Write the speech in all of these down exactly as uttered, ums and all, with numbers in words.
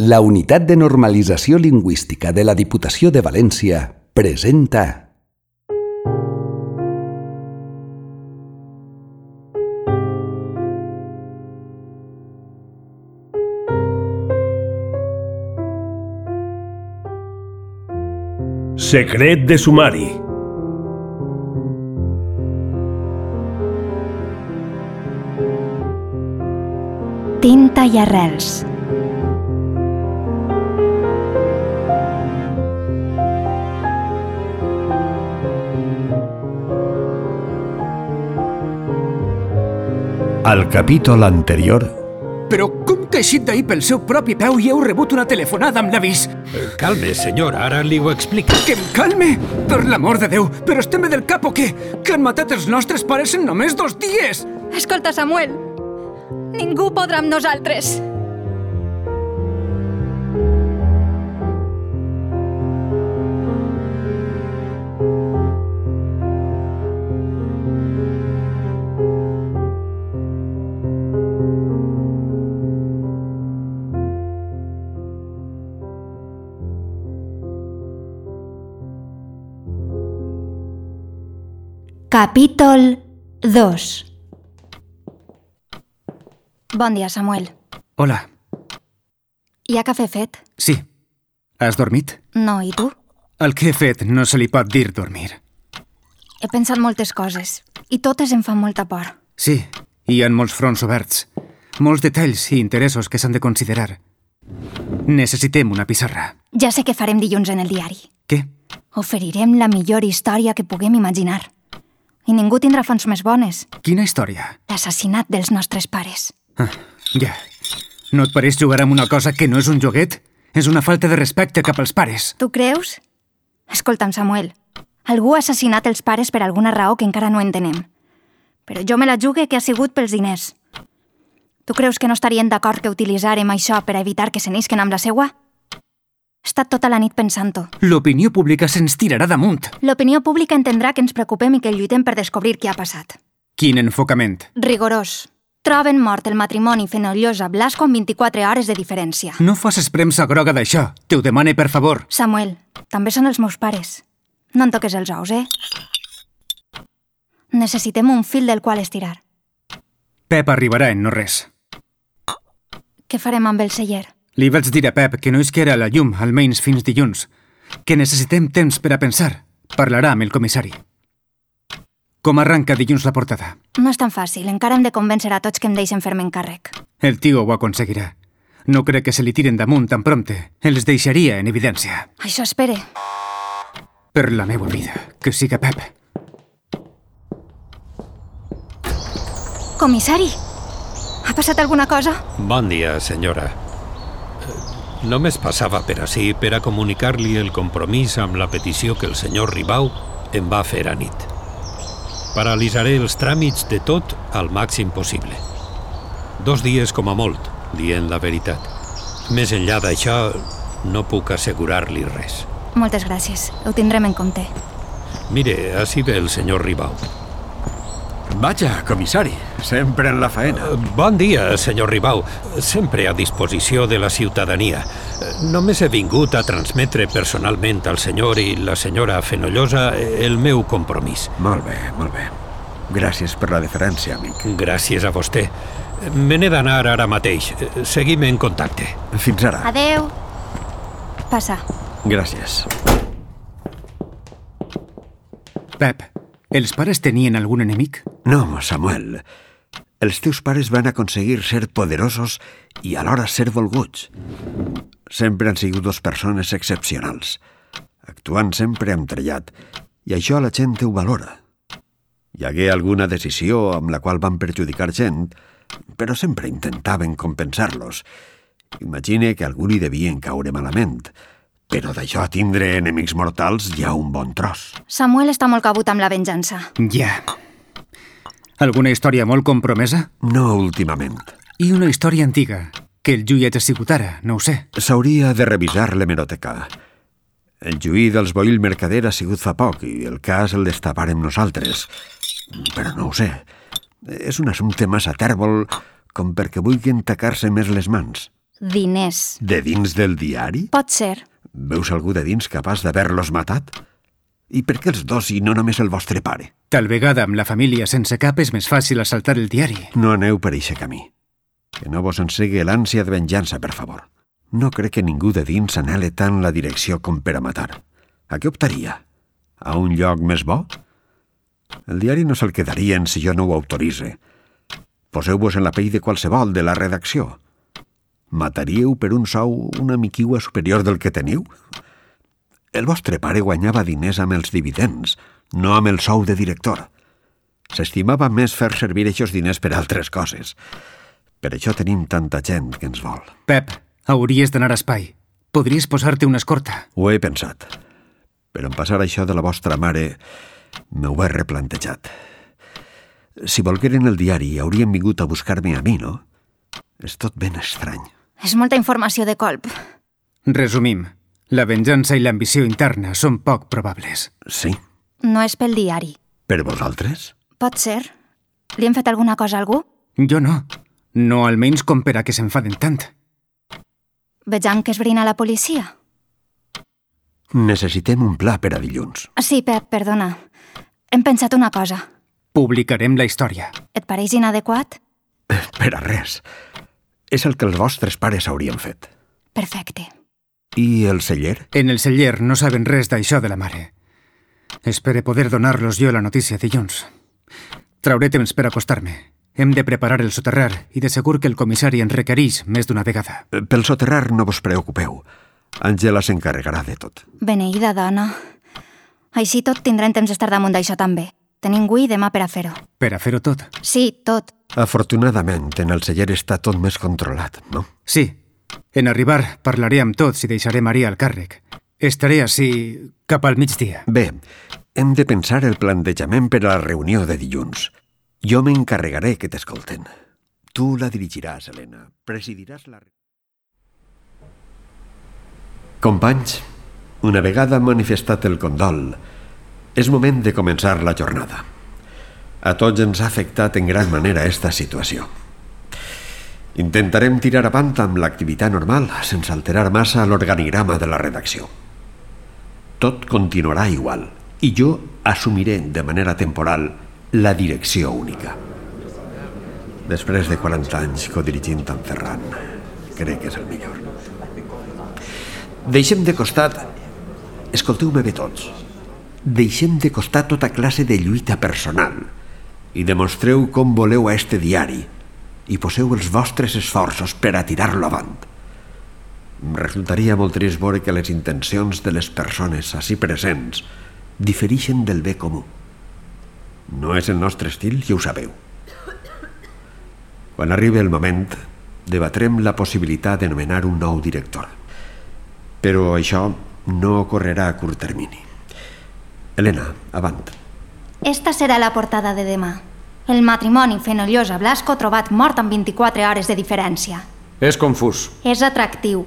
La Unitat de Normalització Lingüística de la Diputació de València presenta Secret de sumari. Tinta i arrels. Al capítol anterior... Però com que ha eixit d'ahir pel seu propi peu i heu rebut una telefonada amb l'avís? Calme, senyor, ara li ho explico. Que em calme? Per l'amor de Déu, però estem del cap o què? Que han matat els nostres pares en només dos dies! Escolta, Samuel, ningú podrà amb nosaltres. Capítol dos. Bon dia, Samuel. Hola. Hi ha cafè fet? Sí. Has dormit? No, i tu? El que he fet no se li pot dir dormir. He pensat moltes coses, i totes em fan molta por. Sí, hi ha molts fronts oberts. Molts detalls i interessos que s'han de considerar. Necessitem una pissarra. Ja sé què farem dilluns en el diari. Què? Oferirem la millor història que puguem imaginar. I ningú tindrà fonts més bones. Quina història? L'assassinat dels nostres pares. Ah, ja. No et pareix jugar amb una cosa que no és un joguet? És una falta de respecte cap als pares. Tu creus? Escolta'm, Samuel. Algú ha assassinat els pares per alguna raó que encara no entenem. Però jo me la jugue que ha sigut pels diners. Tu creus que no estarien d'acord que utilitzarem això per evitar que se n'isquen amb la seua? He estat tota la nit pensant-ho. L'opinió pública se'ns tirarà damunt. L'opinió pública entendrà que ens preocupem i que lluitem per descobrir què ha passat. Quin enfocament? Rigorós. Troben mort el matrimoni Fenollosa-Blasco amb vint-i-quatre hores de diferència. No facis premsa groga d'això. Te ho demane, per favor. Samuel, també són els meus pares. No en toques els ous, eh? Necessitem un fil del qual estirar. Pep arribarà en no res. Què farem amb el celler? Li vaig dir a Pep que no isquera a la llum, almenys fins dilluns. Que necessitem temps per a pensar. Parlarà amb el comissari. Com arranca dilluns la portada? No és tan fàcil. Encara hem de convèncer a tots que em deixen fer-me encàrrec. El tio ho aconseguirà. No crec que se li tiren damunt tan prompte. Els deixaria en evidència. Això espere. Per la meva vida, que siga Pep. Comissari, ha passat alguna cosa? Bon dia, senyora. Només passava per ací per a comunicar-li el compromís amb la petició que el senyor Ribau em va fer a nit. Paralitzaré els tràmits de tot al màxim possible. Dos dies com a molt, dient la veritat. Més enllà d'això, no puc assegurar-li res. Moltes gràcies. Ho tindrem en compte. Mire, ací ve el senyor Ribau. Vaja, comissari, sempre en la faena. Bon dia, senyor Ribau. Sempre a disposició de la ciutadania. Només he vingut a transmetre personalment al senyor i la senyora Fenollosa el meu compromís. Molt bé, molt bé. Gràcies per la deferència, amic. Gràcies a vostè. Me n'he d'anar ara mateix. Seguim en contacte. Fins ara. Adeu. Passa. Gràcies. Pep, els pares tenien algun enemic? No, Samuel. Els teus pares van aconseguir ser poderosos i alhora ser volguts. Sempre han sigut dos persones excepcionals, actuant sempre amb trellat, i això la gent ho valora. Hi hagué alguna decisió amb la qual van perjudicar gent, però sempre intentaven compensar-los. Imagine que algú li devien caure malament, però d'això a tindre enemics mortals hi ha un bon tros. Samuel està molt cabut amb la venjança. Ja. Alguna història molt compromesa? No últimament. I una història antiga, que el Lluïet ha sigut ara, no ho sé. S'hauria de revisar l'hemeroteca. El juí dels Boil Mercader ha sigut fa poc i el cas el destaparem nosaltres. Però no ho sé. És un assumpte massa tèrbol com perquè vulguin tacar-se més les mans. diners. De dins del diari? Pot ser. Veus algú de dins capaç d'haver-los matat? I per què els dos i no només el vostre pare? Tal vegada amb la família sense cap és més fàcil assaltar el diari. No aneu per eixe camí. Que no vos ensegue l'ànsia de venjança, per favor. No crec que ningú de dins anhele tant la direcció com per a matar. A què optaria? A un lloc més bo? El diari no se'l quedarien si jo no ho autoritze. Poseu-vos en la pell de qualsevol de la redacció. Mataríeu per un sou una miquiua superior del que teniu? El vostre pare guanyava diners amb els dividends, no amb el sou de director. S'estimava més fer servir aquests diners per altres coses. Per això tenim tanta gent que ens vol. Pep, hauries d'anar a espai. Podries posar-te una escorta. Ho he pensat. Però en passar això de la vostra mare m'ho he replantejat. Si volgueren el diari haurien vingut a buscar-me a mi, no? És tot ben estrany. És molta informació de colp. Resumim. La venjança i l'ambició interna són poc probables. Sí. No és pel diari. Per vosaltres? Pot ser. Li hem fet alguna cosa a algú? Jo no. No almenys com per a que s'enfaden tant. Vejam que esbrina la policia. Necessitem un pla per a dilluns. Sí, Pep, perdona. Hem pensat una cosa. Publicarem la història. Et pareix inadequat? Per a res. És el que els vostres pares haurien fet. Perfecte. I el celler? En el celler no saben res d'això de la mare. Espere poder donar-los jo la notícia dilluns. Trauré temps per acostar-me. Hem de preparar el soterrar i de segur que el comissari en requereix més d'una vegada. Pel soterrar no vos preocupeu. Àngela s'encarregarà de tot. Beneïda dona. Així tot tindrem temps d'estar damunt d'això també. Tenim avui i demà per a fer-ho. Per a fer-ho tot? Sí, tot. Afortunadament, en el celler està tot més controlat, no? Sí. En arribar parlaré amb tots i deixaré Maria al càrrec. Estaré ací cap al migdia. Bé, hem de pensar el plantejament per a la reunió de dilluns. Jo m'encarregaré que t'escolten. Tu la dirigiràs, Helena. Presidiràs la... Companys, una vegada manifestat el condol, és moment de començar la jornada. A tots ens ha afectat en gran manera esta situació. Intentarem tirar avant amb l'activitat normal, sense alterar massa l'organigrama de la redacció. Tot continuarà igual, i jo assumiré de manera temporal la direcció única. Després de quaranta anys codirigint amb Ferran, crec que és el millor. Deixem de costat... Escolteu-me bé tots. Deixem de costat tota classe de lluita personal i demostreu com voleu a este diari i poseu els vostres esforços per a tirar-lo avant. Em resultaria molt trist veure que les intencions de les persones ací presents diferixen del bé comú. No és el nostre estil, ja ho sabeu. Quan arribi el moment, debatrem la possibilitat de nomenar un nou director. Però això no ocorrerà a curt termini. Helena, avant. Esta serà la portada de demà. El matrimoni Fenollosa Blasco trobat mort amb vint-i-quatre hores de diferència. És confús. És atractiu.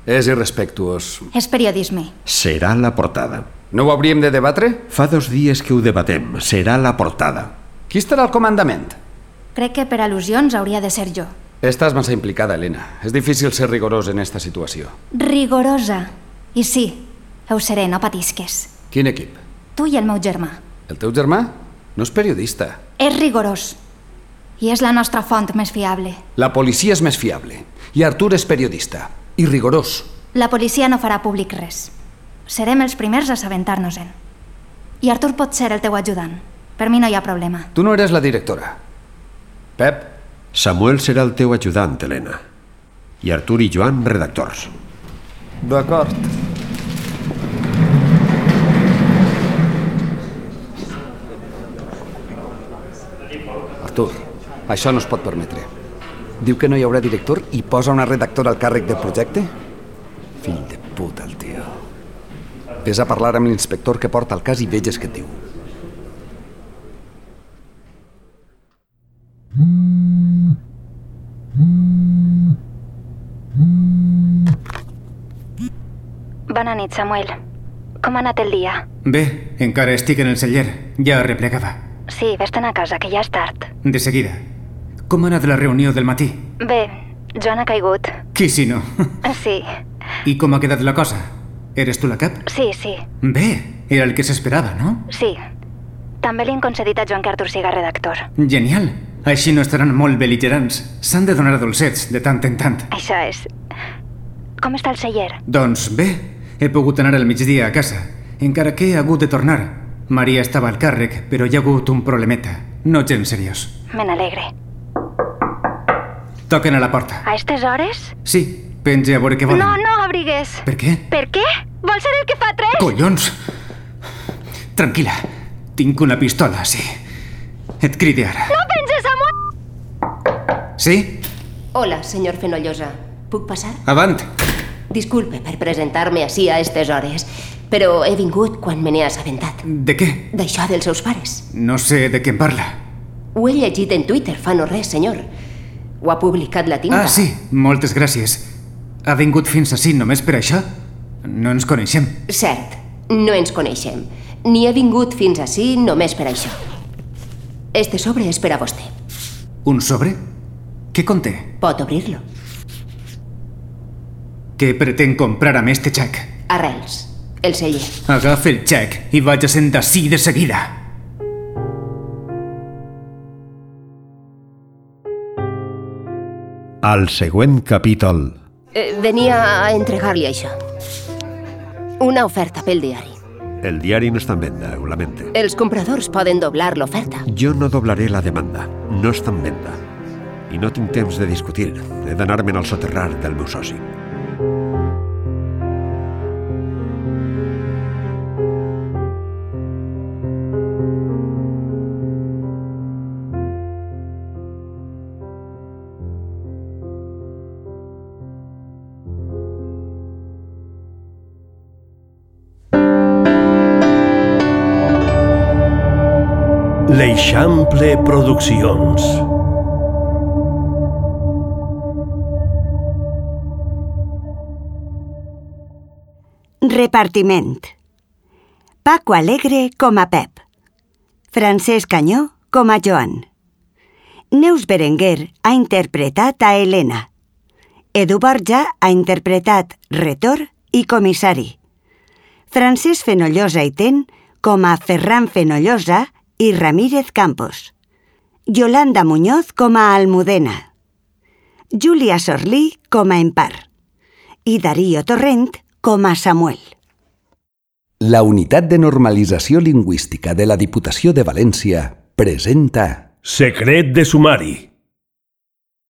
És irrespectuós. És periodisme. Serà la portada. No ho hauríem de debatre? Fa dos dies que ho debatem. Serà la portada. Qui estarà al comandament? Crec que per al·lusions hauria de ser jo. Estàs massa implicada, Helena. És difícil ser rigorós en esta situació. Rigorosa. I sí, ho seré, no patisques. Quin equip? Tu i el meu germà. El teu germà? No és periodista. És rigorós. I és la nostra font més fiable. La policia és més fiable. I Artur és periodista. I rigorós. La policia no farà públic res. Serem els primers a assabentar-nos-en. I Artur pot ser el teu ajudant. Per mi no hi ha problema. Tu no eres la directora. Pep? Samuel serà el teu ajudant, Helena. I Artur i Joan, redactors. D'acord. Artur, això no es pot permetre. Diu que no hi haurà director i posa una redactora al càrrec del projecte? Fill de puta, el tio. Ves a parlar amb l'inspector que porta el cas i veges què et diu. Bona nit, Samuel. Com ha anat el dia? Bé, encara estic en el celler. Ja replegava. Sí, vés-te'n a casa, que ja és tard. De seguida. Com ha anat la reunió del matí? Bé, Joan ha caigut. Qui si no? Sí, I com ha quedat la cosa? Eres tu la cap? sí, sí, Bé, era el que s'esperava, no? sí. També li han concedit a Joan que Artur siga redactor. Genial. Així no estaran molt bel·ligerants. S'han de donar dolcets de tant en tant. Això és... Com està el celler? Doncs bé, he pogut anar al migdia a casa, encara que he hagut de tornar. Maria estava al càrrec, però hi ha hagut un problemeta. No gens seriós. Me n'alegre. Toquen a la porta. A estes hores? Sí, pense a veure què volen. No, no abrigues. Per què? Per què? Vol ser el que fa tres? Collons! Tranquil·la, tinc una pistola, sí. Et cride ara. No penses, Samuel! Sí? Hola, senyor Fenollosa. Puc passar? Avant! Disculpe per presentar-me així a estes hores, però he vingut quan me n'he assabentat. De què? D'això dels seus pares. No sé de què em parla. Ho he llegit en Twitter fa no res, senyor. Ho ha publicat la tinta. Ah, sí, moltes gràcies. Ha vingut fins ací només per això? No ens coneixem. Cert, no ens coneixem. Ni he vingut fins ací només per això. Este sobre és per a vostè. Un sobre? Què conté? Pot obrir-lo. Què pretén comprar amb este xec? Arrels, el celler. Agafa el xec i vaig-se'n d'ací de seguida. Al següent capítol. Eh, venia a entregar-li això. Una oferta pel diari. El diari no està en venda, ho lamente. Els compradors poden doblar l'oferta. Jo no doblaré la demanda. No està en venda. I no tinc temps de discutir. He d'anar-me'n al soterrar del meu soci. L'Eixample Produccions. Repartiment. Paco Alegre com a Pep. Francesc Canyó com a Joan. Neus Berenguer ha interpretat a Helena. Edu Borja ha interpretat Retor i Comissari. Francesc Fenollosa i Ten com a Ferran Fenollosa i Ramírez Campos. Yolanda Muñoz com a Almudena. Júlia Sorlí com a Empar. I Darío Torrent com a Samuel. La Unitat de Normalització Lingüística de la Diputació de València presenta... Secret de sumari.